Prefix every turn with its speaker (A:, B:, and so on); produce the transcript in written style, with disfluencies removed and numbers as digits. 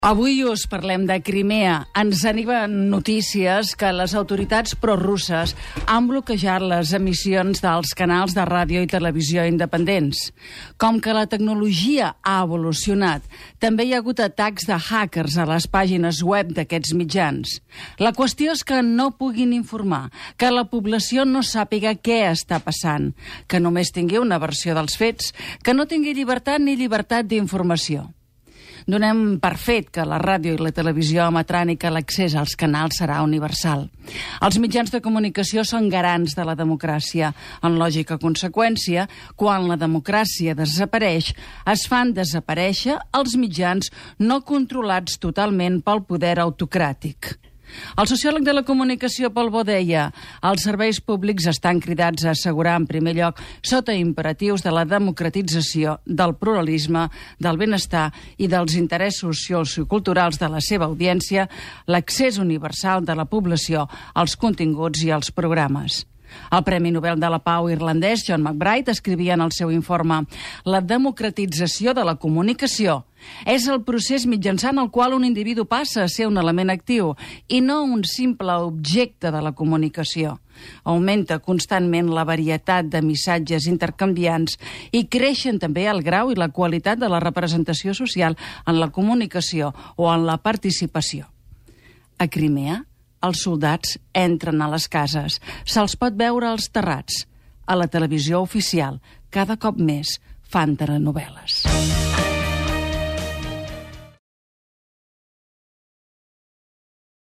A: Avui us parlem de Crimea. Ens arriben notícies que les autoritats prorusses han bloquejat les emissions dels canals de ràdio i televisió independents. Com que la tecnologia ha evolucionat, també hi ha hagut atacs de hackers a les pàgines web d'aquests mitjans. La qüestió és que no puguin informar, que la població no sàpiga què està passant, que només tingui una versió dels fets, que no tingui llibertat ni llibertat d'informació. Donem per fet que la ràdio i la televisió emetran i que l'accés als canals serà universal. Els mitjans de comunicació són garants de la democràcia. En lògica conseqüència, quan la democràcia desapareix, es fan desaparèixer els mitjans no controlats totalment pel poder autocràtic. El sociòleg de la comunicació Pol Bo deia: els serveis públics estan cridats a assegurar en primer lloc, sota imperatius de la democratització, del pluralisme, del benestar i dels interessos socioculturals de la seva audiència, l'accés universal de la població als continguts i als programes. El Premi Nobel de la Pau irlandès John McBride escrivia en el seu informe: la democratització de la comunicació és el procés mitjançant el qual un individu passa a ser un element actiu i no un simple objecte de la comunicació. Augmenta constantment la varietat de missatges intercanviants i creixen també el grau i la qualitat de la representació social en la comunicació o en la participació. A Crimea, els soldats entren a les cases, se'ls pot veure als terrats. A la televisió oficial, cada cop més fan telenovel·les.